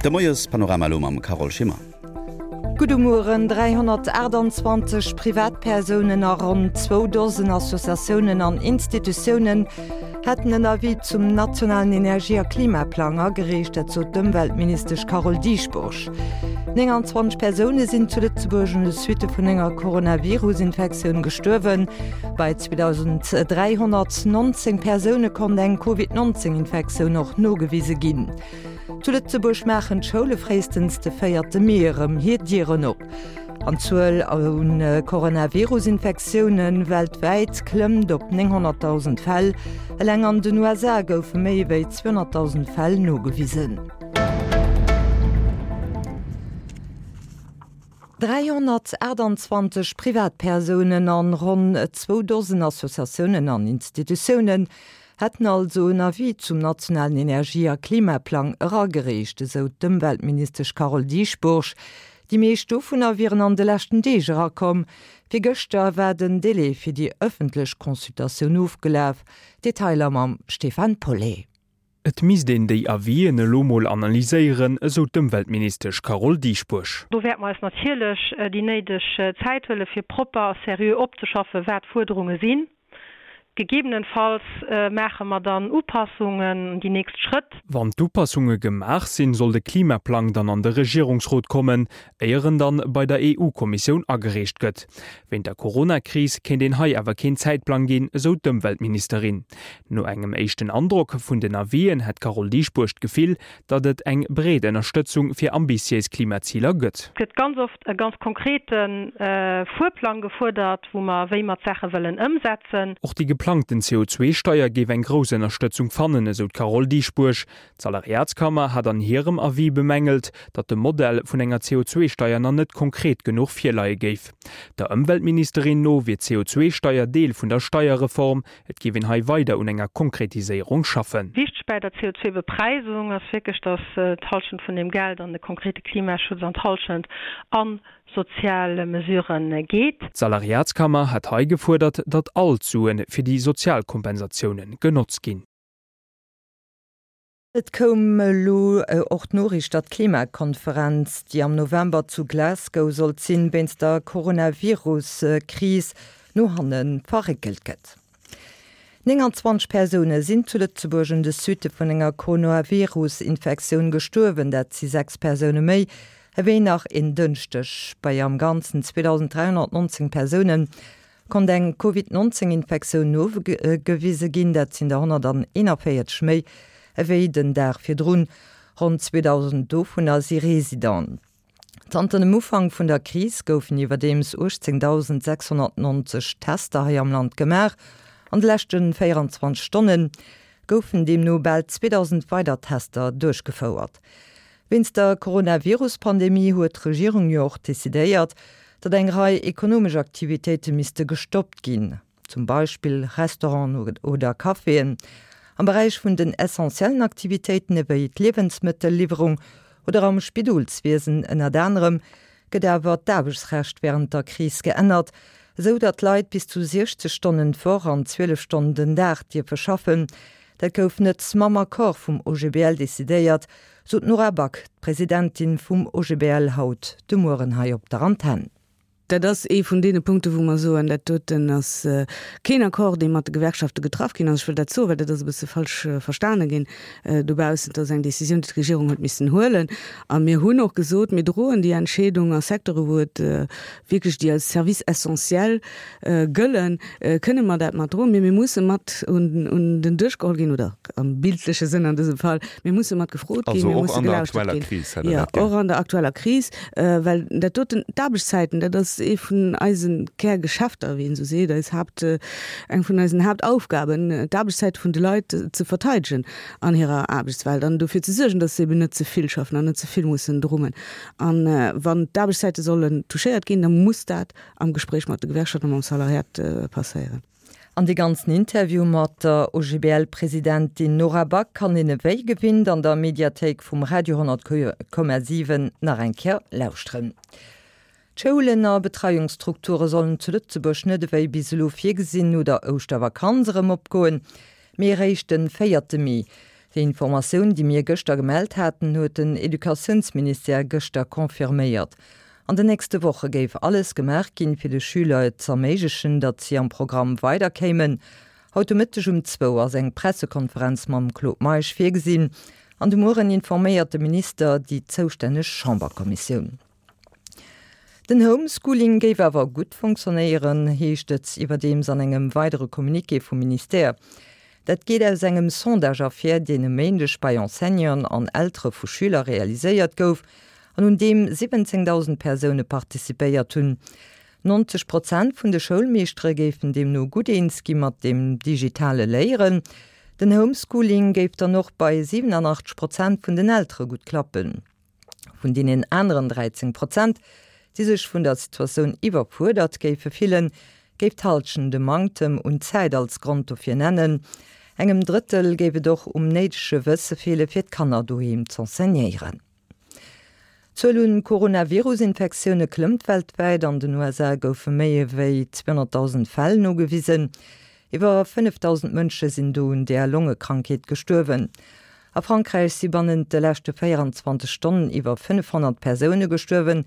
De Moiespanorama elo mam Carole Schimmer. Gudde Mueren. 328 Privatpersounen a ronn zwou Dosen Associatiounen an Institutiounen hätten en Avis zum nationalen Energie a Klimaplang agereecht, dat sot d'Ëmweltministesch Carole Dieschbourg. 29 Persoune sinn zu Lëtzebuerg un de Suitte vun enger Coronavirus-Infektioun gestuerwen. Bei 2.319 Persoune konnt eng Covid-19-Infektioun och nogewise ginn. Zu Lëtzebuerg maachen d'Schoule fréistens de véierte Mee erëm hir Dieren op. An d'Zuel un Coronavirus-Infektioune weltwäit klëmmt op 900.000 Fäll. Eleng an den USA goufe méi ewéi 200.000 Fäll nogewisen. 328 Privatpersounen an ronn zwou Dosen Associatiounen an Institutiounen hätten also en Avis zum nationalen Energie a Klimaplang eragereecht, esou d'Ëmweltministesch Carole Dieschbourg. Déi meescht dovunner wieren an de leschten Deeg erakomm. Virgëschter war den Délai fir déi ëffentlech Consultatioun ofgelaf. Detailer mam Stéphane Paulet. Et misst een déi Avisen elo mol analyséieren, esou d'Ëmweltministesch Carole Dieschbourg. Do wäerte mer eis natierlech déi néideg Zäit huelen, fir propper a seriö opzeschaffen, wat d'Fuerderunge sinn. Gegebenenfalls maache mer dann Upassungen, déi nächst Schrëtt. Wann d'Upassunge gemaach sinn, soll de Klimaplang dann an de Regierungsrot kommen, éier en dann bei der EU-Kommissioun agereecht gëtt. Wéint der Corona-Kris kéint een hei awer keen Zäitplang ginn, esou d'Ëmweltministerin. No engem éischten Androck vun den Avisen hätt d'Carole Dieschbourg d'Gefill, datt et eng breet Ënnerstëtzung fir ambitiéis Klimaziler gëtt. Et gëtt ganz oft e ganz konkrete Fuerplang gefuerdert, wou mer, wéi mer d'Saache wëllen ëmsetzen. Och déi geplangten CO2-Steier géif eng grouss Ënnerstëtzung fannen, esou d'Carole Dieschbourg. D'Salariatskammer hat an hirem Avis bemängelt, datt de Modell vun enger CO2-Steier nach net konkret genuch virleie géif. Der Ëmweltministerin no wier d'CO2-Steier Deel vun der Steierreform, Et géif een hei weider un enger Konkretiséierung schaffen. Wichteg bäi der CO2-Bepreisung ass wierklech, datt d'Hallschent vun deem Geld an de konkrete Klimaschutz an d'Hallschent a sozial Mesurë geet. D'Salariatskammer hat hei gefuerdert, datt all d'Sue fir déi sozial Kompensatioune genotzt ginn. Et koum elo och d'Noriicht, datt d'Klimakonferenz, déi am November zu Glasgow sollt sinn, wéinst der Coronavirus-Kris no hanne verréckelt gëtt. 29 Persoune sinn zu Lëtzebuerg un de Suitte vun enger Coronavirus-Infektioun gestuerwen. Dat si 6 Persoune méi ewéi nach en Dënschdeg. Bei am Ganzen 2.319 Persounen Konnt eng Covid 19 Infektioun nogewise ginn, dat sinn der 141 méi ewéi den Dag virdrun. Ronn 2.000 dovunner si Residenten. Zanter dem Ufank vun der Kris goufen iwwerdeems 18.690 Tester hei am Land gemaach. An de leschte 24 Stonne goufen deemno bal 2.000 weider Tester duerchgefouert. Wéinst der Coronavirus-Pandemie huet d'Regierung jo och decidéiert, datt eng Rei ekonomesch Aktivitéite misste gestoppt ginn, zum Beispill Restauranten oder Caféen. Am Beräich vun den essentiellen Aktivitéiten ewéi d'Liewensmëttelliwwerung oder am Spidolswiesen ënnert anerem gëtt awer d'Aarbechtsrecht wärend der Kris geännert, esou datt Leit bis zu 60 Stonnen d'Woch an 12 Stonnen den Dag dierfe schaffen. Dat gouf net mam Accord vum OGBL decidéiert, sot d'Nora Back, d'Presidentin vum OGBL haut de Mueren hei op der Antenn. Dat ass ee vun deene Punkte wou mer soen, dat doten ass keen Accord, dee mat de Gewerkschafte getraff ginn ass. Ech wëll dat soen, well dat ass e bësse falsch verstane ginn dobaussen. Dat ass eng Décisioun, déi d'Regierung huet missen huelen. A mir hunn och gesot, mir droen déi Entscheedung a Secteure wou et wierklech déi als Services essentiels gëllen, kënne mer dat mat droen, mee mir musse mat un den Dësch geholl ginn, oder am bildleche Sënn an dësem Fall, mir musse mat gefrot ginn, mir musse gelauschtert ginn. Jo, och an der aktueller Kris, well dat doten, d'Aarbechtszäiten, dat ass ee vun eise Kärgeschäfter, wéi een esou seet, eis Haapt, eng vun eisen Haaptaufgaben, d'Aarbechtszäite vun de Leit ze verteidegen an hirer Aarbechtswelt an dofir ze suergen, datt se eben net ze vill schaffen an net ze vill mussen drummen. A wann d'Aarbechtszäite sollen touchéiert ginn, da muss dat am Gespréich mat de Gewerkschaften a mam Salariat passéieren. An dee ganzen Interview mat der OGBL-Presidentin Nora Back kann een ewéi gewinnt an der Mediathéik vum Radio 10,7 nach eng Kéier lauschteren. D'Schoulen a Betreiungsstrukture sollen zu Lëtzebuerg net ewéi bis elo virgesinn no der Ouschtervakanz erëm opgoen, mee eréischt de véierte Mee. Déi Informatioun, déi mir gëschter gemellt haten, huet den Educatiounsministère gëschter confirméiert. An den nächste Woche géif alles gemaach ginn, fir de Schüler et z'erméiglechen, datt si am Programm weiderkéimen. Haut de Mëtteg um zwou ass eng Pressekonferenz mam Claude Meisch virgesinn an de Mueren informéiert de Minister déi zoustänneg Chamberkommissioun. Den Homeschooling géif awer gutt fonctionnéieren, heescht et iwwerdeems an engem weidere Communiqué vum Ministère. Dat geet aus engem Sondage ervir, deen e Méindeg bei Enseignanten an Eltere vu Schüler realiséiert gouf an un deem 17.000 Persoune participéiert hunn. 90 Prozent vun de Schoulmeeschtere géifen deemno gutt eens gi mat dem digitale Léieren. Den Homeschooling géif dann och bei 87 Prozent vun den Eltere gutt klappen. Vun deenen aneren 13 Prozent, déi sech vun der Situatioun iwwerfuerdert géife fillen, géif d'Hallschent e Manktem un Zäit als Grond dofir nennen. Engem Drëttel géif et och um néidege Wësse feele fir d'Kanner doheem z'enseignéieren. D'Zuel un Coronavirus-Infektioune klëmmt weltwäit. An den USA goufe méi ewéi 200.000 Fäll nogewisen. Iwwer 5.000 Mënsche sinn do un där Longekrankheet gestuerwen. A Frankräich si bannent de leschte 24 Stonnen iwwer 500 Persoune gestuerwen.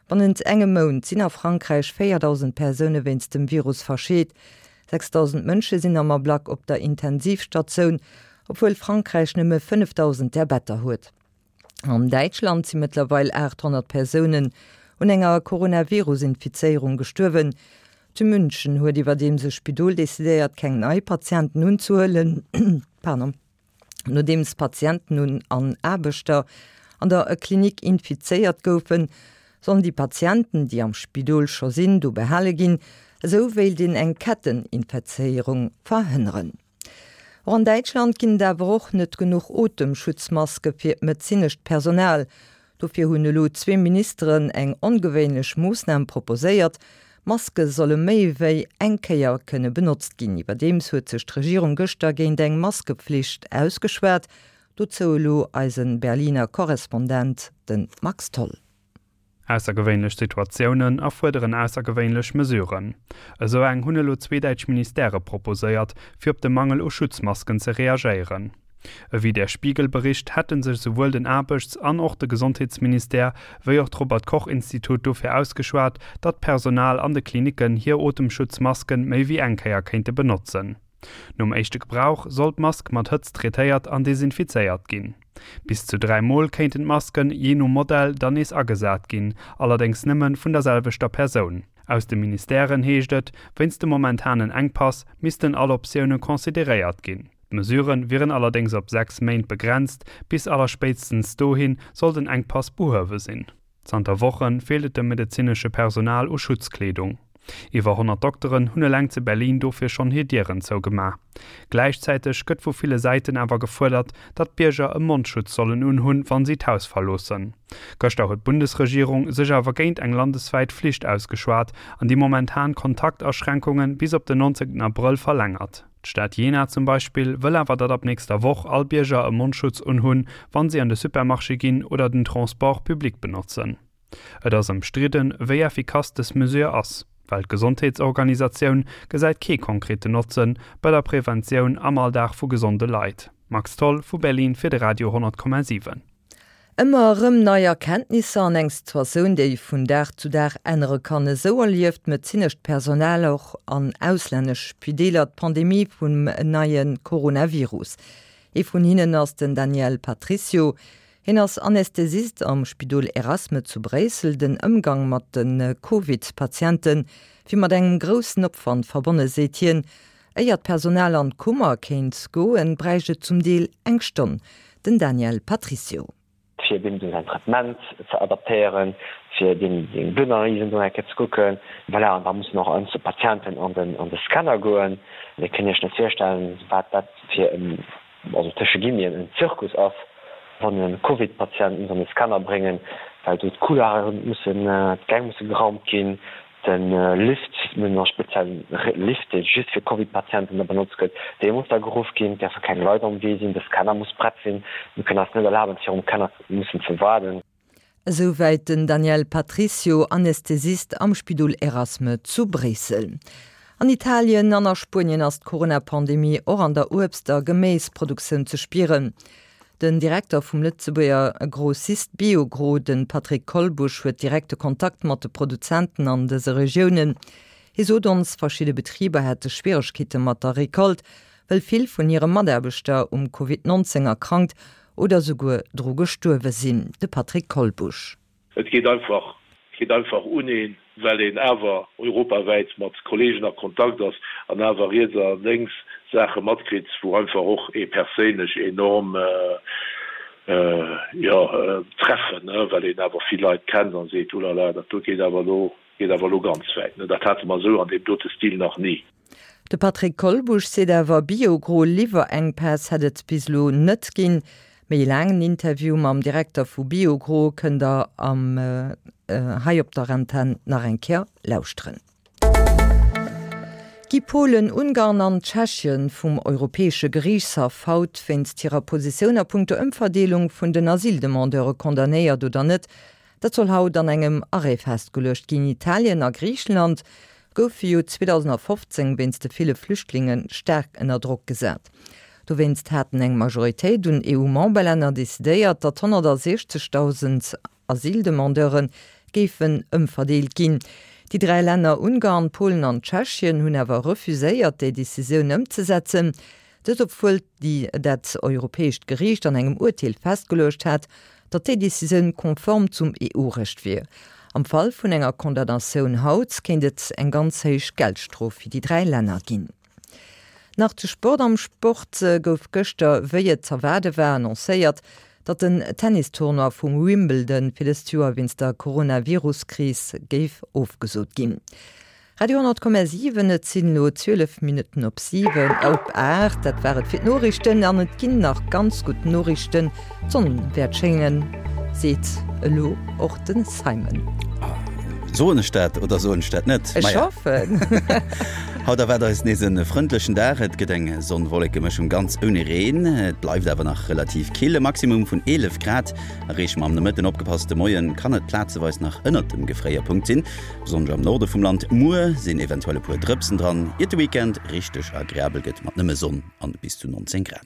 Bannent engem Mount sinn a Frankräich 4.000 Persoune wéinst dem Virus verscheet. 6.000 Mënsche sinn am Ablack op der Intensivstatioun, obwuel Frankräich nëmme 5.000 där Better huet. An Däitschland si mëttlerweil 800 Persounen un enger Coronavirus-Infizéierung gestuerwen. Zu München huet iwwerdeems e Spidol decidéiert, keng nei Patienten unzehuelen. Nodeems Patienten un an Aarbechter an der Klinik infizéiert goufen, sollen déi Patienten, déi am Spidol scho sinn, do behale ginn. Esou wéilt een eng Ketteninfezéierung verhënneren. Och an Däitschland ginn et awer och net genuch Otemschutzmaske fir d'medezinescht Personal. Dofir hunn elo zwee Ministeren eng ongewéinlech Moossnam proposéiert, Maske solle méi wéi eng Kéier kënne benotzt ginn. Iwwerdeems huet sech d'Regierung gëschter géint eng Maskepflicht ausgeschwat. Dozou elo eise Berliner Korrespondent, de Max Tholl. Aussergewéinlech Situatiounen erfuerderen aussergewéinlech Mesuren. Esou eng hunn elo zwee däitsch Ministèrë proposéiert, fir op de Mangel u Schutzmasken ze reagéieren. Ewéi Der Spiegel bericht, hätte sech esouwuel den Aarbechts an och de Gesondheetsministère wéi och d'Robert Koch Institut dofir ausgeschwat, datt d'Personal an de Klinicken hir Otemschutzmasken méi wéi eng Kéier kéinte benotzen. Nom éischte Gebrauch soll d'Mask mat Hëtzt traitéiert an desinfizéiert ginn. Bis zu 3 Mol kéinten d'Masken, jee no Modell, dann nees agesat ginn, allerdéngs nëmme vun der selwechter Persoun. Aus de Ministèren heescht et, wéinst dem momentanen Enkpass missten all Optioune consideréiert ginn. D'Mesure wieren allerdéngs op 6 Méint begrenzt, bis allerspéitstens dohi soll den Enkpass behuewe sinn. Zanter Woche feelt et dem medezinesche Personal u Schutzkleedung. Iwwer 100 Dokteren hunn eleng zu Berlin dofir schonn hir Dieren zougemaach. Gläichzäiteg gëtt vu ville Säiten awer gefuerdert, datt d'Bierger e Mondschutz sollen unhunn, wann si d'Haus verloossen. Gëschter huet d'Bundesregierung sech awer géint eng landeswäit Flicht ausgeschwat an déi momentan Kontaktaschränkunge bis op den 19 Abrëll verlängert. D'Stad Jena zum Beispill wëll awer, datt ab nächster Woch all Bierger e Mondschutz unhunn, wann si an de Supermarché ginn oder den Transport public benotzen. Et ass ëmstridden, wéi effikass dës Mesure ass. D'Weltgesondheetsorganisatioun gesäit kee konkreten Notze bei der Preventioun am Alldag vu gesonde Leit. Max Tholl vu Berlin fir de Radio 10,7. Ëmmer erëm nei Erkenntnisser an eng Situatioun, déi vun Dag zu Dag ännere kann. Esou erlieft d'medezinescht Personal och an auslännesch Spideeler d'Pandemie vum neie Coronavirus. Ee vun hinnen ass den Daniel Patricio. Hien ass Anästhesist am Spidol Erasme zu Bréissel. Den Ëmgang mat de Covid-Patiente wier mat engem groussen Opwand verbonne, seet hien. Éier d'Personal an d'Kummer kéint goen, bräicht et zum Deel eng Stonn. Den Daniel Patricio. Fir deem säin Traitement ze adaptéieren, fir deem seng Bluttanalysen do eng Kéier ze kucken. Voilà, an da mussen och einzel Patienten an den, an de Scanner goen. Dir kënnt Iech net virstellen, wat dat fir en, also tësche Guillemeten, en Zirkus ass, wann e Covid-Patient muss an de Scanner bréngen, well do d'Couloiren mussen, d'Gäng musse geraumt ginn, De Lift, mir hunn e speziellen Lift, dee just fir Covid-Patienten da benotzt gëtt, dee muss da geruff ginn. Et däerfe keng Leit am Wee sinn, de Scanner muss prett sinn. Mir kënnen eis net erlaben, virum Scanner mussen ze waarden. Esouwäit den Daniel Patricio, Anästhesist am Spidol Erasme zu Bréissel. An Italien an a Spuenien ass d'Corona-Pandemie och an der Uebst a Geméisproduktioun ze spieren. Den Direkter vum Lëtzebuerger Grossist Biogro, de Patrick Kolbusch, huet direkte Kontakt mat de Produzenten an dëse Regiounen. Hie sot ons, verschidde Betriber hätte Schwieregkeete mat der Recolte, well vill vun hire Mataarbechter um Covid 19 erkrankt oder souguer dru gestuerwe sinn. De Patrick Kolbusch. Et geet einfach, geet einfach un een, well een awer europawäit mat Kollegen a Kontakt ass an awer riets a lénks Saache matkritt, wou einfach och ee perséinlech enorm, jo, treffen, well een awer vill Leit kennt a seet, Ulala, dat do geet awer elo, geet awer elo ganz wäit. Dat hate mer esou an deem dote Stil nach ni. De Patrick Kolbusch seet awer, Biogro-Liwwerenkpäss hätt et bis elo net ginn. Méi e laangen Interview mam Direkter vu Biogro kënnt der am hei op der Antenn nach eng Kéier lauschteren. Gi Polen, Ungarn an Tschechien vum Europäesche Geriichtshaff haut wéinst hirer Positioun a punkto Ëmverdeelung vun den Asyldemandeure condamnéiert oder net? Dat soll haut an engem Arrêt festgeluecht ginn. Italien a Griichenland goufe jo 2015 wéinst de ville Flüchtlinge staark ënner Drock gesat. Dowéinst haten eng Majoritéit un EU-Memberlänner decidéiert, datt 160.000 Asyldemandeure géifen ëmverdeelt ginn. Déi 3 Länner Ungarn, Polen an Tschechien hunn awer refuséiert, déi Decisioun ëmzesetzen. Dëst obwuel déi dat Europäescht Geriicht an engem Urteel festgeluecht hat, datt déi Decisioun konform zum EU-Recht wier. Am Fall vun enger Condamnatioun haut kéint et eng ganz héich Geldstrof fir déi 3 Länner ginn. Nach zu Sport, Am Sport gouf gëschter, wéi et z'erwaarde war, annoncéiert, datt den Tennistournoi vum Wimbledon fir dëst Joer wéinst der Coronavirus-Kris géif ofgesot ginn. Radio 10,7, Et sinn elo 12 Minutten op 7, op 8. Dat war et fir d'Noriichten an et ginn nach ganz gutt Noriichten. D'Sonn wäert schéngen, seet elo och de Simon. Soen ech dat oder soen ech dat net? Ech hoffen. Haut erwaart eis nees e frëndlechen Dag. Et gëtt eng Sonn-Wolleke-Mëschung ganz ouni Reen. Et bleift awer nach relativ kill, e Maximum vun 11 Grad erreeche mer am Nomëtten. Opgepasst, de Moie kann et plazeweis nach ënnert dem Gefréierpunkt sinn. Besonnesch am Norde vum Land. Muer sinn eventuell e puer Drëpsen dran, iert de Weekend richteg agreabel gëtt mat nëmme Sonn an bis zu 19 Grad.